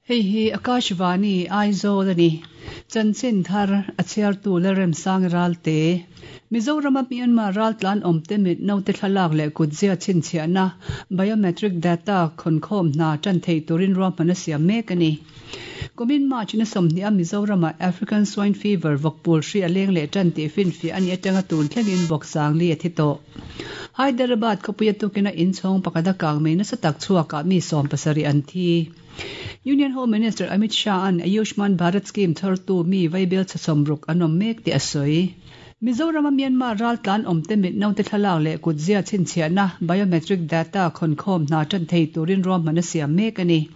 Hei hi Akashvani, Aizawl a ni. Chanchin thar a chhiartu Lalremsangi Ralte. Mizorama Myanmar raltlan awmte mit naute thlalak leh kutzia chhinchhiahna, biometric data, khawnkhawm hna tan thei turin ruahman a siam mek a ni. Kumin March na 20 a Mizorama African Swine Fever vawkpul hri a leng leh tan tih finfiah a nih atanga tun thlengin vawk sangli a thi tawh. Hyderabad khawpuia tukina inchhawng pakhat a kang mai nasa tak chhuakah mi 70 an thi. Union Home Minister Amit Shah-a'n Ayushman Bharat Scheme thartu mi vaibel chhasawm ruk an awm mek tih a sawi. Mizorama Myanmar raltlan awmte mit naute thlalak leh kutzia chhinchhiahna, biometric data, khawnkhawm hna tan thei turin ruahman a siam mek a ni.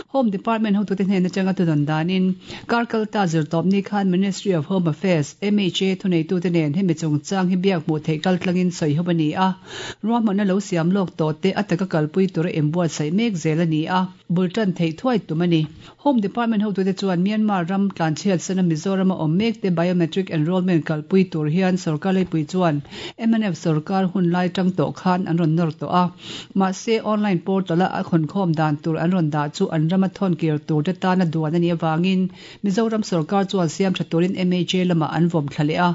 Home Department hotute hnen atanga thudawn danin, kar kalta zirtawpni khan Ministry of Home Affairs, MHA, thuneitute nen hemi chungchang hi biak hmuh theih kaltlangin sawi ho a ni a. Ruahmanna lo siam lawk tawh te a taka kalpui tura inbuatsaih mek zel a ni a, bul tan theih thuai tum a ni. Home Department hotute chuan Myanmar ram tlanchhiat sana Mizorama awm mek te biometric enrolment kalpui tur hian sorkar leipui chuan mnf sorkar hun lai tang tawh khan an rawn nawr tawh a. Mahse, online portal-a a khawnkhawm dan tur an rawn dah chu an rama thawn kir tur te tana duan a nih avangin Mizoram sorkar chuan siam tha turin MHA lamah an vawm thla leh a.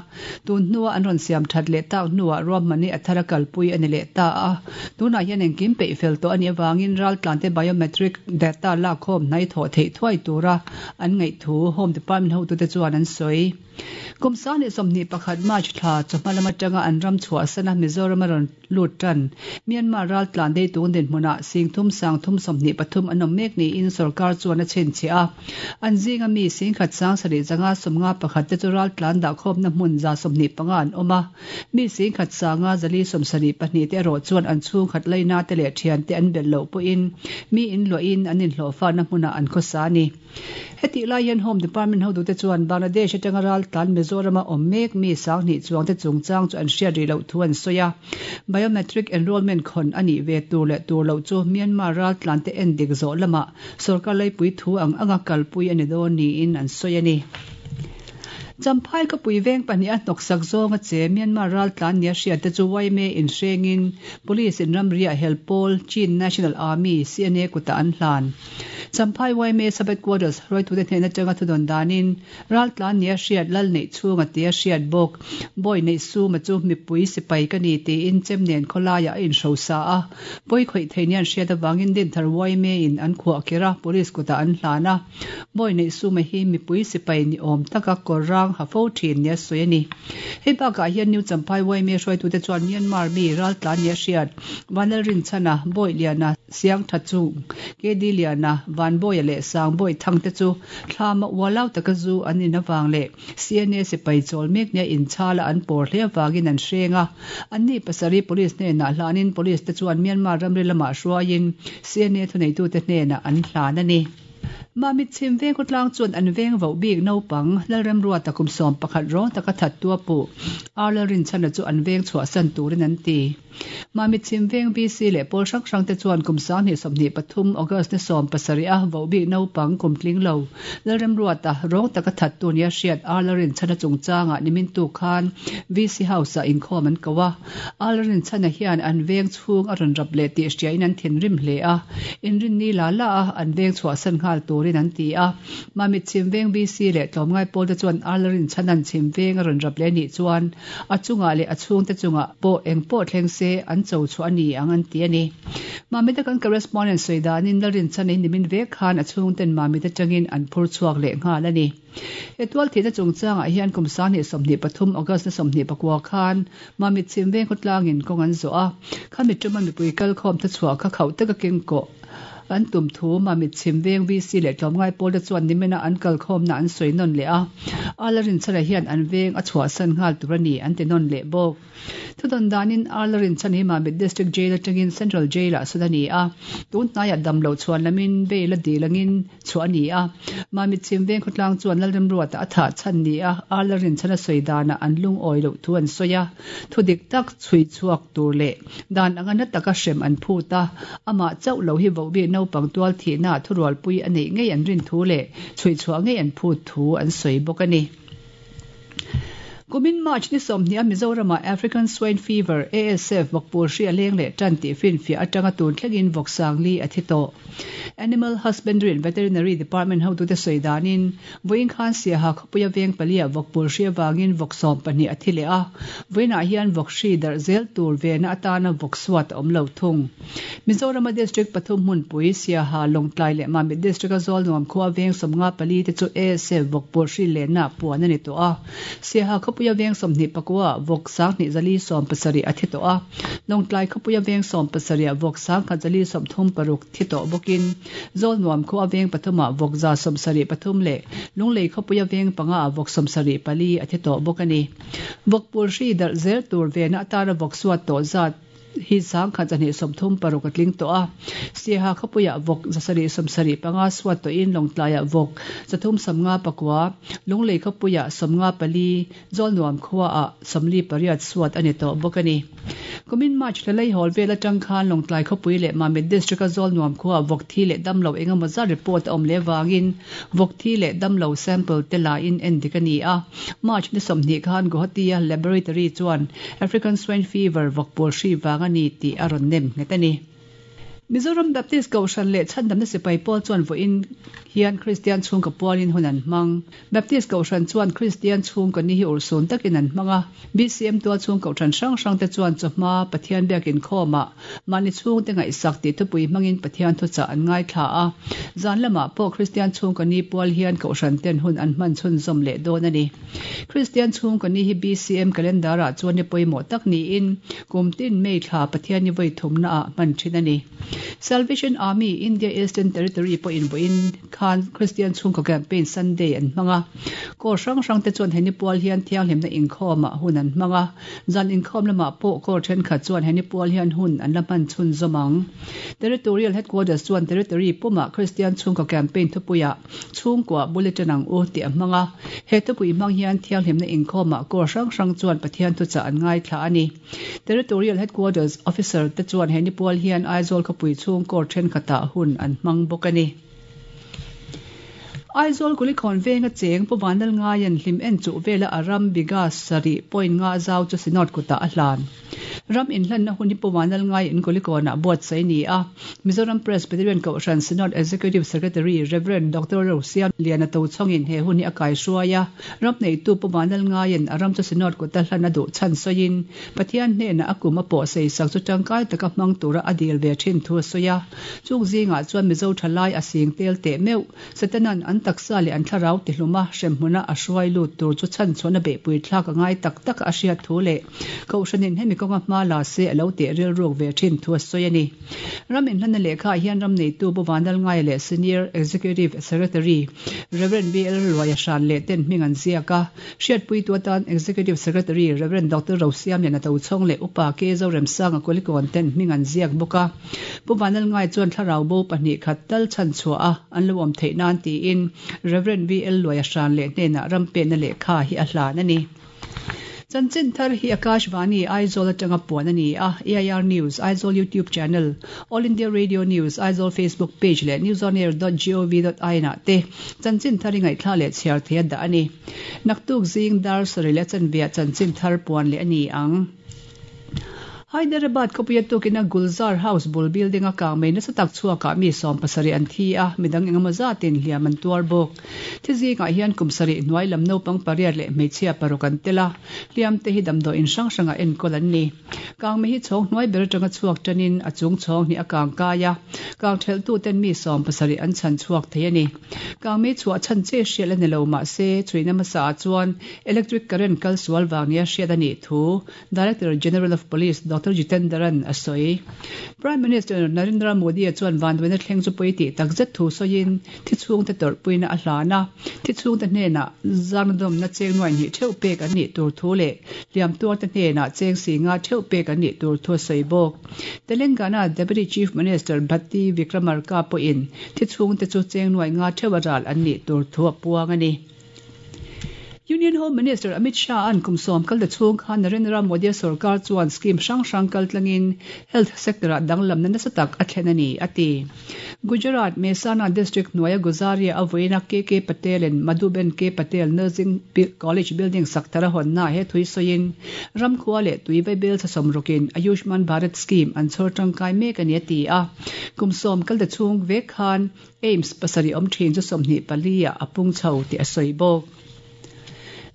Tun hnua an rawn siam that leh tak hnuah ruahman hi a thar a kalpui a ni leh ta a. Tunah hian engkim peih fel tawh a nih avangin raltlante biometric data lakkhawm hnai thawh theih thuai tura an ngaih thu Home Department hotute chuan an sawi. Kum 2021 March thla chawhma lam atanga an ram chhuahsana Mizoram a rawn lut tan. Myanmar raltlan deitung dinhmunah 30 323 an awm mek niin sorkar chuan a chhinchhiah a. An zinga mi 10 7 51 te chu raltlan dahkhawmna hmun 125 an awm a. Mi 10 472 te erawh chuan an chhungkhat laina te leh thian te an belh loh pawhin mi inluahin an inhlawhfana hmunah an khawsa a ni. Hetih lai hian Home Department hotute chuan Bangladesh atanga raltlan Mizorama awm mek mi 2000 chuang te chungchang chu an hriat rih loh thu an sawi a. Biometric enrolment khawn a nih ve tur leh tur loh chu Myanmar raltlan te en dik zawh lamah sorkar leipui thu ang anga kalpui a ni dawn niin an sawi a ni. Champhai khawpui veng pahnih a hnawksak zawng a che Myanmar raltlan nia hriat te chu YMA inhrengin Police in ramri ah hel pawl Chin National Army, CNA, kutah an hlan. Champhai YMA Sub-Headquarters hruaitute hnen atanga thudawn danin raltlan nia hriat lal neih chhunga tia hriat bawk bawi neih suma chu mipui sipai ka ni tiin chem nen khawlaiah a inhrosa a, pawi khawih thei nia an hriat avangin Dinthar YMA in an khuah kher a, police kutah an hlan a. Bawi neih suma hi mipui sipai ni awm taka kawr rang ha fo thin nia sawi a ni. Hei bakah hian New Champhai YMA hruaitute chuan Myanmar mi raltlan nia hriat Vanlalrinchhana, Bawi Liana, Siang tha chung, KD Liana, Vanbawia leh Sangbawi Thang te chu thlama ualau taka zu an in avang leh CNA sipai chawl mek nia inchala an pawr hle avangin an hreng a. Anni pasarih Police hnenah hlanin Police te chuan Myanmar ramri lamah hruaiin CNA thuneitute hnenah an hlan a ni. Mamit chhim veng khawtlang chuan an veng voh bik naupang Lalremruata kum 11 rawng taka thattu a puh Ar Lalrinchhana chu an veng chhuahsan turin an ti. Mamit chhim veng VC leh pawl hrang hrang te chuan kum 2023 August ni 17 a voh bik naupang kum tling lo Lalremruata rawng taka thattu nia hriat Ar Lalrinchhana chungchangah nimin tuk khan VC House ah inkhawm an ko a. Ar Lalrinchhana hian an veng chhung a rawn rap leh tih hriain an thinrim hle a, inrinni la la a an veng chhuahsan nghal turin an ti a. Mamit chhim veng VC leh tlawmngai pawl te chuan Ar Lalrinchhana'n chhim veng a rawn rap leh nih chuan a chungah leh a chhungte chungah pawh eng pawh thleng se an cho chhuah a ni ang an ti a ni. Mamit a kan correspondent sawi danin Lalrinchhana hi nimin vek khan a chhungten Mamit atangin an phur chhuak leh nghal a ni. He tual thihna chungchangah hian kum 2023 August ni 24 khan Mamit chhim veng khawtlangin kawng an zawh a, khami tuma mipui kalkhawm thuchhuah kha khauh taka keng kawh an tum thu Mamit chhim veng VC leh tlawmngai pawl te chuan nimina an kalkhawmna an sawi nawn leh a, Arlarinchhana hian an veng a chhuahsan nghal tur a ni an ti nawn leh bawk. Thudawn danin Arlarinchhana hi Mamit District Jail atangin Central Jail ah sawn a ni a, tun hnaiah dam loh chhuan lamin bail a dil angin chhuah a ni a. Mamit chhim veng khawtlang chuan Lalremruata a thah chhan ni a, Arlarinchhana sawi danah an lungawi loh thu an sawi a, thu dik tak chhui chhuak tur leh dan anga na taka hrem an phut a, amah chauh lo hi vohbik naupang tual thihna thurualpui a neih ngei an rin thu leh chhui chhuah ngei an phut thu an sawi bawk a ni. Kumin March ni 20 a Mizoramah African Swine Fever, ASF, vawkpul hri a leng leh tan tih finfiah atanga tun thlengin vawk sangli a thi tawh. Animal Husbandry and Veterinary Department hotute sawi danin, vawiin khan Siaha khawpuia veng paliah vawkpul hri avangin vawk 12 a thi leh a, vawiinah hian vawk hri darh zel tur vena atana vawk suat a awm lo thung. Mizorama District pathum hmunpui, Siaha, Lawngtlai leh Mamit District-a Zawlnuam khua veng 54 te chu ASF vawkpul hri lenna puan a ni tawh a. Siaha khawpuia veng 29 ah vawk 2470 a thi tawh a, Lawngtlai khawpuia veng 70 ah vawk 1136 thi tawh bawkin Zawlnuam khua veng pathum ah vawk 73 leh Lunglei khawpuia veng panga ah vawk 74 a thi tawh bawk a ni. Vawk pul hri darh zel tur vena atana vawk suat tawh zat hi 1236 a tling tawh a. Siaha khawpuiah vawk 775 suat tawhin Lawngtlaiah vawk 359, Lunglei khawpuiah 54, Zawlnuam khuaah 48 suat a ni tawh bawk a ni. Kumin March thla lei hawl vel atang khan Lawngtlai khawpui leh Mamit District-a Zawlnuam khuaah vawk thi leh damlo engemaw zat report a awm leh avangin vawk thi leh damlo sample te lain endik a ni a. March ni 20 khan Guwahati-a laboratory chuan African Swine Fever vawkpawl hri vang a ni tih a rawn nem nghet a ni. Mizoram Baptist Kohhran leh Chhandamna Sipai Pawl chuan vawiin hian Kristian chhungkaw pualin hun an hmang. Baptist Kohhran chuan Kristian chhungkaw ni hi urhsun takin an hmang a. BCM tual chhung kohhran hrang hrang te chuan chawhma Pathian biakin khawmah mahni chhungte ngaihsak tih thupui hmangin Pathian thuchah an ngaithla a. Zan lamah pawh Kristian chhungkaw ni pual hian kohhran ten hun an hman chhunzawm leh dawn a ni. Kristian chhungkaw ni hi BCM calendar ah chuan ni pawimawh tak niin kum tin May thla Pathian ni vawi thumna ah hman thin a ni. Salvation Army India Eastern Territory pawhin vawiin khan Kristian chhungkaw campaign Sunday an hmang a. Corps hrang hrang te chuan he ni pual hian thianghlimna inkhawm ah hun an hmang a. Zan inkhawm lamah pawh corps thenkhat chuan he ni pual hian hun an la hman chhunzawm ang. Territorial Headquarters chuan Territory pumah Kristian chhungkaw campaign thupuiah Chhungkua bulletin ang u tih a hmang a, he thupui hmang hian thianghlimna inkhawmah corps hrang hrang chuan Pathian thuchah an ngaithla a ni. Territorial Headquarters Officer te chuan he nipual hian Aizawl khawpui chhung corps thenkhatah hun an hmang bawk a ni. Aizawl Kulikawn venga cheng Pu Vanlalngaia'n hlim en chuh vela a ram bigha sarih point nga zau chu Synod kutah a hlan. Ram inhlanna hun hi Pu Vanlalngai in Kulikawnah buatsaih a ni a. Mizoram Presbyterian Kohhran Synod Executive Secretary Rev. Doctor Rosiam Liana Tochhawngin he hun hi a kaihruai a. Ram neitu Pu Vanlalngaiin a ram chu Synod kuta hlan a duh chhan sawiin, Pathian hnenah a kum a pawh seisak chu tangkai taka hmang tura a dil ve thin thu a sawi a. Chung zingah chuan Mizo thalai a sing tel teh meuh. Satanan an taksa leh an thlarau tihluma hremhmuna a hruai lut tur chu chhanchhuahna beihpui thlak a ngai tak tak a hriat thu leh Kohhranin hemi kawnga hma la se a lo teh rilruk ve thin thu a sawi a ni. Ram inhlanna lehkhaah hian ram neitu Pu Vanlalngaia leh Senior Executive Secretary Rev. BL Luaia hran leh ten hming an ziak a. Hriatpuitu atan Executive Secretary Rev. Doctor Rosiamliana Tochhawng leh Upa K. Zoremsanga Kulikawn ten hming an ziak bawk a. Pu Vanlalngai chuan thlarau bo pahnih khat tal chhan chhuah a an lo awm theih nan tiin Rev. VL Luaia hran leh hnenah ram penna lehkha hi a hlan a ni. Chanchin thar hi Akashvani Aizawl atanga puan a ni a, AIR News, Aizawl YouTube Channel, All India Radio News, Aizawl Facebook Page leh newsonair.gov.in ah te chanchin thar i ngaihthla leh chhiar thei a dah a ni. Naktuk zing dar sarih leh chanveah chanchin thar puan leh a ni ang. Hyderabad khawpuia tukina Gulzar House bul building a kang mai nasa tak chhuakah mi 70 an thi a, midang engemaw zatin hliam an tuar bawk. Thi zingah hian kum sarih hnuai lam naupang pariat leh hmeichhia paruk an tel a, hliam te hi damdawiin hrang hrangah enkawl an ni. Kangmei hi chhawng hnuai ber atanga chhuak tanin a chung chhawng hnih a kang kai a, kang thelhtuten mi 70 an chhan chhuak thei a ni. Kangmei chhuah chhan che hriat la ni lo mahse, chhuina hmasaah chuan Electric current kal sual vang nia hriat a nih thu Director General of Police Doctor Jitendaran a sawi. Prime Minister Narendra Modi-a chuan vanduaina thleng chu pawi tih takzet thu sawiin thi chhungte tawrhpuina a hlan a, thi chhungte hnenah zangnadawmna cheng nuai hnih theuh pek an nih tur thu leh hliam tuarte hnenah cheng si nga theuh pek an nih tur thu a sawi bawk. Telangana Deputy Chief Minister Bhatti Vikramarka pawhin thi chhungte chu cheng nuai nga theuh a ral an nih tur thu a puang a ni. Union Home Minister Amit Shah an kum sawm kal ta chhung khan Narendra Modi sorkar chuan scheme hrang hrang kal tlangin health sector-ah danglamna nasa tak a thlen a ni, a ti. Gujarat, Mehsana district hnuaia Guzaria a vawiina KK Patel and Madhuben K Patel Nursing College building sak thar a hawnnaah he thui sawiin ramkhua leh tui vaibel chhasawm rawkin Ayushman Bharat scheme an chhawr tangkai mek a ni a ti a. Kum sawm kal ta chhung vek khan AIIMS pasarih awm thin chu 24 ah a pung chho tih a sawi bawk.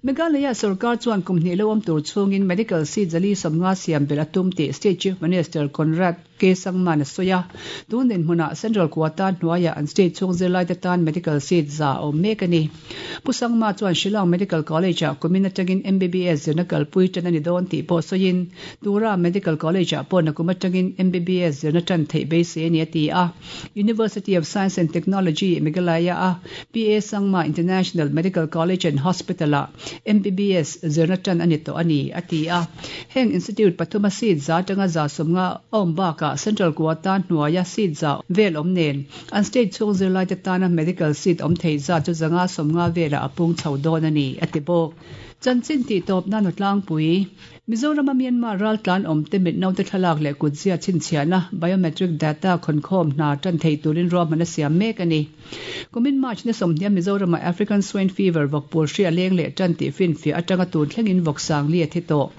Meghalaya sorkar chuan kum hnih lo awm tur chhungin medical seat zali 50 siam belh a tum tih State Chief Minister Conrad K Sangman a sawi a. Tun dinhmunah Central Quota hnuaiah an state chhung zirlaite tan medical seat za a awm mek a ni. Pu Sangma chuan Shillong Medical College-ah kumin atangin MBBS zirna kalpui tan a ni dawn tih pawh sawiin Tura Medical College-ah pawh nakum atangin MBBS zirna tan theih beisei a ni a ti a. University of Science and Technology, Meghalaya-a PA Sangma International Medical College and Hospital-ah MBBS zirna tan a ni tawh a ni, a ti a. Heng institute pathuma seat za atanga 150 a awm bakah Central Quota hnuaia seat za vel awm nen an state chhung zirlaite tana medical seat awm thei zat chu 150 velah a pung chho dawn a ni, a ti bawk. Chanchin tihtawpna Nutlangpui. Mizorama Myanmar raltlan awmte mitnaute thlalak leh kutzia chhinchhiahna, biometric data, khawnkhawm hna tan thei turin ruahman a siam mek a ni. Kumin March ni 30 Mizorama African Swine Fever vawkpul hri a leng leh tan tih finfiah atanga tun thlengin vawk sangli a thi tawh.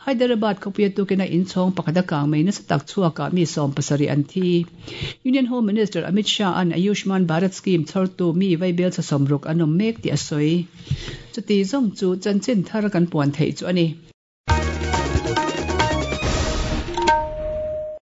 Hyderabad khawpuia tukina inchhawng pakhat a kang mai nasa tak chhuakah mi 70 an thi. Union Home Minister Amit Shah an Ayushman Bharat scheme chhawrtu mi vaibel chha 60 an awm mek tih a sawi. Chuti zawng chu chanchin thar kan puan theih chu a ni.